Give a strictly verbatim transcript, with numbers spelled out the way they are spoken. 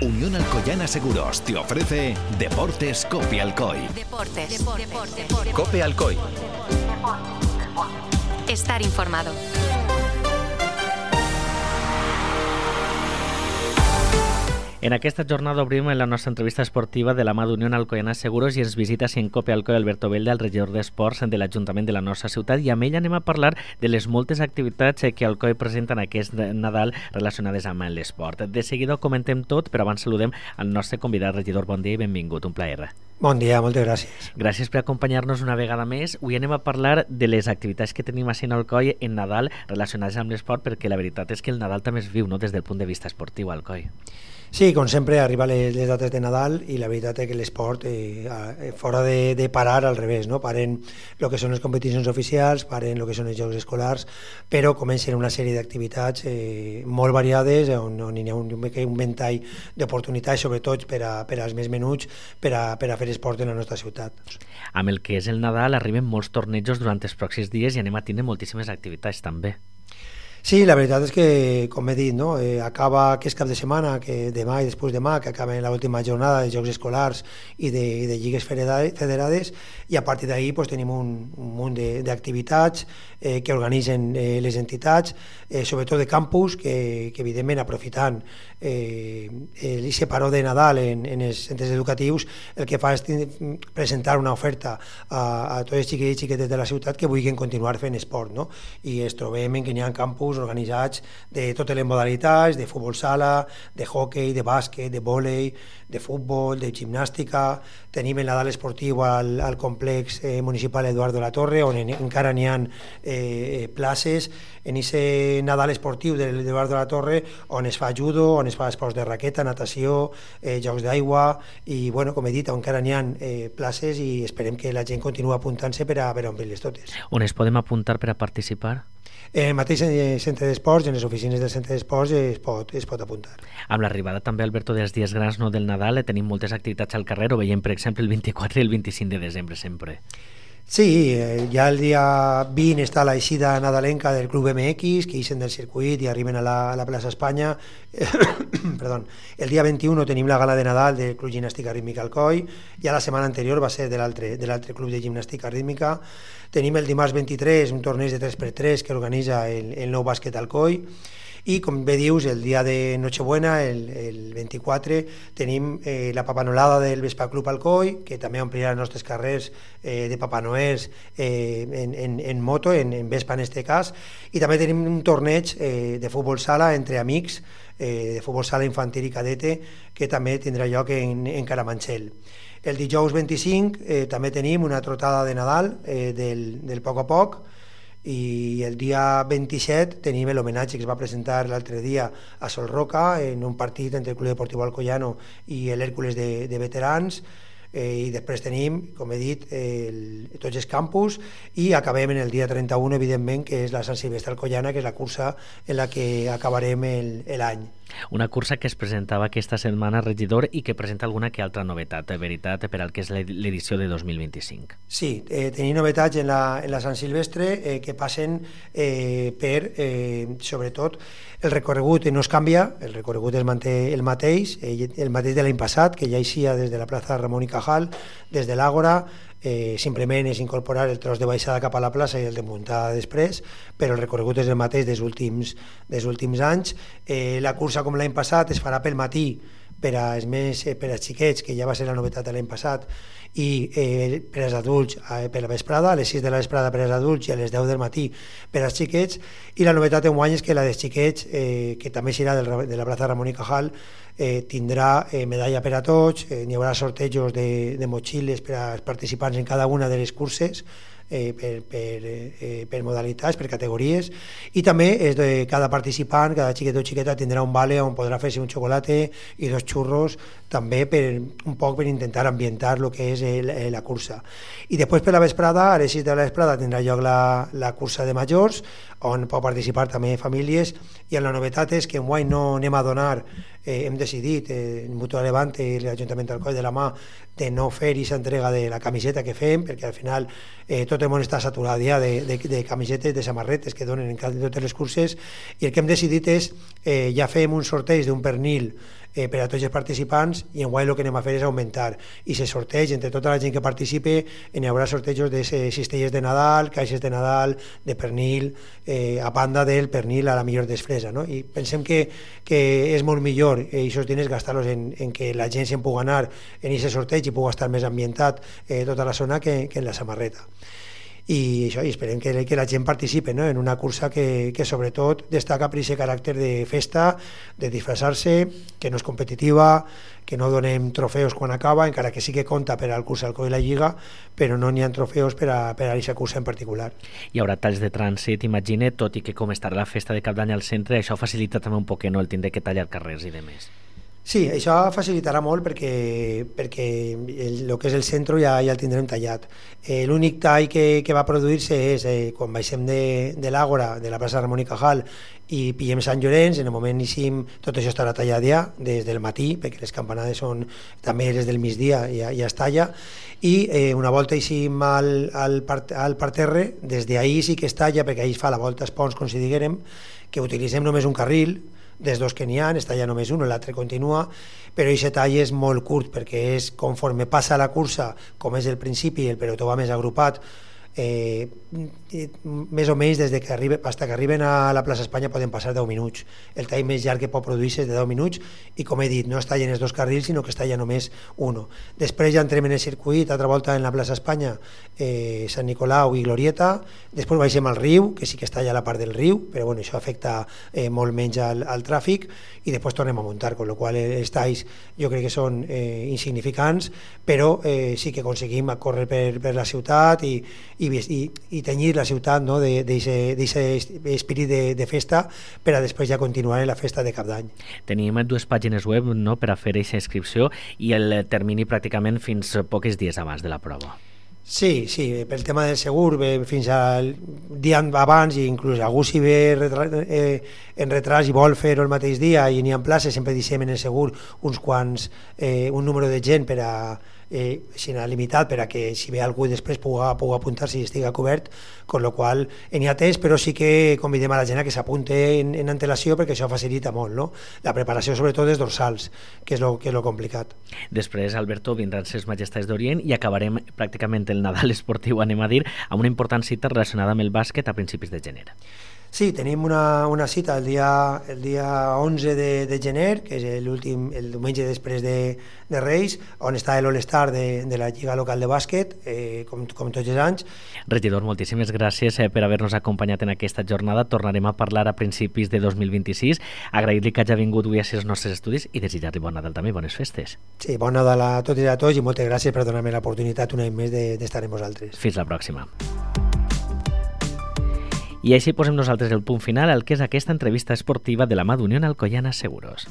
Unión Alcoyana Seguros te ofrece Deportes Cope Alcoy. Deportes. Deportes. Deportes. Cope Alcoy. Estar informado. En aquesta jornada obrim la nostra entrevista esportiva de la mà d'Unió Alcoyana Seguros i ens visita en Cope Alcoy Alberto Belda, el regidor d'Esports de l'Ajuntament de la nostra ciutat, i amb ell anem a parlar de les moltes activitats que Alcoy presenta en aquest Nadal relacionades amb l'esport. De seguida ho comentem tot, però abans saludem al nostre convidat. Regidor, bon dia i benvingut, un plaer. Bon dia, moltes gràcies. Gràcies per acompanyar-nos una vegada més. Avui anem a parlar de les activitats que tenim a Alcoy en Nadal relacionades amb l'esport, perquè la veritat és que el Nadal també es viu, no?, des del punt de vista esportiu, Alcoy. Sí, com sempre, arriba les, les dates de Nadal i la veritat és que l'esport, eh, fora de, de parar, al revés, no? Paren el que són les competicions oficials, paren el que són els jocs escolars, però comencen una sèrie d'activitats eh, molt variades, on, on hi ha un, un ventall d'oportunitats, sobretot per, a, per als més menuts, per a, per a fer esport en la nostra ciutat. Amb el que és el Nadal arriben molts tornejos durant els pròxims dies i anem a tindre moltíssimes activitats també. Sí, la veritat és que, com he dit, no? eh, acaba aquest cap de setmana, que demà i després demà, que acaba l'última jornada de Jocs Escolars i de, de lligues federades, i a partir d'ahir pues, tenim un, un munt d'activitats eh, que organitzen eh, les entitats, eh, sobretot de campus, que, que evidentment aprofitant eh, l'I paró de Nadal en, en els centres educatius, el que fa és presentar una oferta a, a tots els xiquets i xiquetes de la ciutat que vulguin continuar fent esport, no? I es trobem en que hi ha campus organitzats de totes les modalitats, de futbol sala, de hockey, de bàsquet, de vòlei, de futbol, de gimnàstica. Tenim el Nadal esportiu al, al complex eh, municipal Eduardo La Torre, on en, encara n'hi ha eh, places. En aquest Nadal esportiu de l'Eduardo La Torre, on es fa judo, on es fa esports de raqueta, natació, eh, jocs d'aigua, i bueno, com he dit, encara n'hi ha eh, places i esperem que la gent continua apuntant-se per a, per a omplir-les totes. On es podem apuntar per a participar? En el mateix centre d'esports, en les oficines del centre d'esports es pot, es pot apuntar. Amb l'arribada també, Alberto, dels dies grans, no, del Nadal, tenim moltes activitats al carrer, ho veiem, per exemple, el vint-i-quatre i el vint-i-cinc de desembre sempre. Sí, eh, ja el dia vint està l'eixida nadalenca del Club M X, que ixen del circuit i arriben a la, a la plaça Espanya. Perdó. El dia vint-i-u tenim la gala de Nadal del Club Gimnàstica Rítmica Alcoy, ja la setmana anterior va ser de l'altre de l'altre club de gimnàstica rítmica. Tenim el dimarts vint-i-tres un torneig de tres per tres que organitza el, el nou bàsquet Alcoy. I com bé dius, el dia de Nochebuena, el, el vint-i-quatre, tenim eh, la papanolada del Vespa Club Alcoy, que també omplirà els nostres carrers eh, de Papa Noels eh, en, en, en moto, en, en Vespa en este cas, i també tenim un torneig eh, de futbol sala entre amics, eh, de futbol sala infantil i cadete, que també tindrà lloc en, en Caramanchel. El dijous vint-i-cinc eh, també tenim una trotada de Nadal eh, del, del poc a poc, i el dia vint-i-set tenim l'homenatge que es va presentar l'altre dia a Sol Roca en un partit entre el Club Deportiu Alcoyano i l'Hèrcules de, de veterans, eh, i després tenim, com he dit, el, tots els campus, i acabem en el dia trenta-u, evidentment, que és la Sant Silvestre Alcoyana, que és la cursa en la que acabarem l'any. Una cursa que es presentava aquesta setmana, regidor, i que presenta alguna que altra novetat, de veritat, per al que és l'edició de dos mil vint-i-cinc. Sí, eh, tenim novetats en la, en la Sant Silvestre eh, que passen eh, per, eh, sobretot, el recorregut no es canvia, el recorregut es manté el mateix, eh, el mateix de l'any passat, que ja eixia des de la plaça Ramon i Cajal, des de l'Àgora. Eh, simplement és incorporar el tros de baixada cap a la plaça i el de muntada després, però el recorregut és el mateix dels últims, dels últims anys. Eh, la cursa, com l'any passat, es farà pel matí per als més, eh, per als xiquets, que ja va ser la novetat de l'any passat, i eh, per als adults eh, per la vesprada, a les sis de la vesprada per als adults i a les deu del matí per als xiquets. I la novetat enguany és que la dels xiquets, eh, que també serà del, de la plaça Ramon i Cajal, eh, tindrà eh, medalla per a tots, eh, n'hi haurà sortejos de, de motxilles per als participants en cada una de les curses, eh, per, per, eh, per modalitats, per categories, i també és de cada participant, cada xiquet o xiqueta tindrà un vale on podrà fer-se un xocolate i dos xurros, també per un poc per intentar ambientar el que és el, la cursa. I després per la vesprada, a les sis de la vesprada tindrà lloc la, la cursa de majors, on pot participar també famílies, i la novetat és que enguany no anem a donar, eh, hem decidit, eh, el Mutua Levante i l'Ajuntament d'Alcoi de la mà, de no fer aquesta entrega de la camiseta que fem, perquè al final eh, tot el món està saturat ja de, de, de camisetes, de samarretes que donen en totes les curses, i el que hem decidit és, eh, ja fem un sorteig d'un pernil eh, per a tots els participants, i enguany el que anem a fer és augmentar, i se sorteig entre tota la gent que participe, hi haurà sortejos de cistelles de Nadal, caixes de Nadal, de pernil, eh, a banda del pernil a la millor desfresa, no? I pensem que, que és molt millor eh, aquests diners gastar-los en, en que la gent se'n pugui anar en aquest sorteig i pugui estar més ambientat eh, tota la zona que, que en la samarreta. I això, i esperem que, que la gent participi, no? En una cursa que, que sobretot destaca per aquest caràcter de festa, de disfressar-se, que no és competitiva, que no donem trofeus quan acaba, encara que sí que compta per al curs Alcoy i la Lliga, però no n'hi ha trofeus per a, per a aquesta cursa en particular. Hi haurà talls de trànsit, imagine, tot i que com estarà la festa de Cap d'Any al centre, això facilita també un poc, no?, el tindre que tallar carrers i demés. Sí, això facilitarà molt perquè, perquè el, el que és el centre ja, ja el tindrem tallat. Eh, L'únic tall que, que va produir-se és eh, quan baixem de, de l'Àgora, de la plaça Ramon i Cajal, i pillem Sant Llorenç, en el moment eixim, tot això estarà tallat ja, des del matí, perquè les campanades són també des del migdia, ja, ja es talla, i eh, una volta eixim al, al, part, al parterre, des d'ahir sí que es talla, perquè ahir es fa la volta als ponts, com si diguérem, que utilitzem només un carril, dels dos que n'hi ha, està ja només un, l'altre continua, però aquest tall és molt curt perquè és conforme passa la cursa, com és el principi, el pelotó va més agrupat, eh, més o menys des de que arriba, fins que arriben a la plaça Espanya poden passar deu minuts. El tall més llarg que pot produir-se és de deu minuts i, com he dit, no es tallen els dos carrils sinó que es talla només un. Després ja entrem en el circuit, altra volta en la plaça Espanya, eh, Sant Nicolau i Glorieta, després baixem al riu, que sí que es talla la part del riu, però bueno, això afecta eh, molt menys al, al tràfic, i després tornem a muntar, amb la qual cosa els talls jo crec que són eh, insignificants, però eh, sí que aconseguim córrer per, per la ciutat i, i, i, i tenyir la ciutat, no?, d'aquest espírit de, de festa per a després ja continuar en la festa de Cap d'Any. Tenim dues pàgines web, no?, per a fer aquesta inscripció i el termini pràcticament fins pocs dies abans de la prova. Sí, sí, pel tema del segur, bé, fins al dia abans, i inclús algú si ve retra, eh, en retras i vol fer-ho el mateix dia i n'hi ha places, sempre deixem en el segur uns quants, eh, un número de gent per a eh, sinó limitat per a que si ve algú després pugui, pugui apuntar-se i estigui cobert, amb la qual cosa n'hi ha temps, però sí que convidem a la gent a que s'apunte en, en antelació perquè això facilita molt, no? La preparació sobretot dels dorsals, que és lo, que és lo complicat. Després, Alberto, vindran ses Majestats d'Orient i acabarem pràcticament el Nadal esportiu, anem a dir, amb una important cita relacionada amb el bàsquet a principis de gener. Sí, tenim una, una cita el dia, el dia onze de, de gener, que és l'últim, el diumenge després de, de Reis, on està l'All-Star de, de la Lliga Local de Bàsquet, eh, com, com tots els anys. Regidor, moltíssimes gràcies eh, per haver-nos acompanyat en aquesta jornada. Tornarem a parlar a principis de dos mil vint-i-sis. Agrair-li que hagi vingut avui a ser els nostres estudis i desitjar-li bon Nadal també, bones festes. Sí, bon Nadal a tots i a tots i moltes gràcies per donar-me l'oportunitat un any més d'estar amb vosaltres. Fins la pròxima. I així posem nosaltres el punt final al que és aquesta entrevista esportiva de la mà d'Unión Alcoyana Seguros.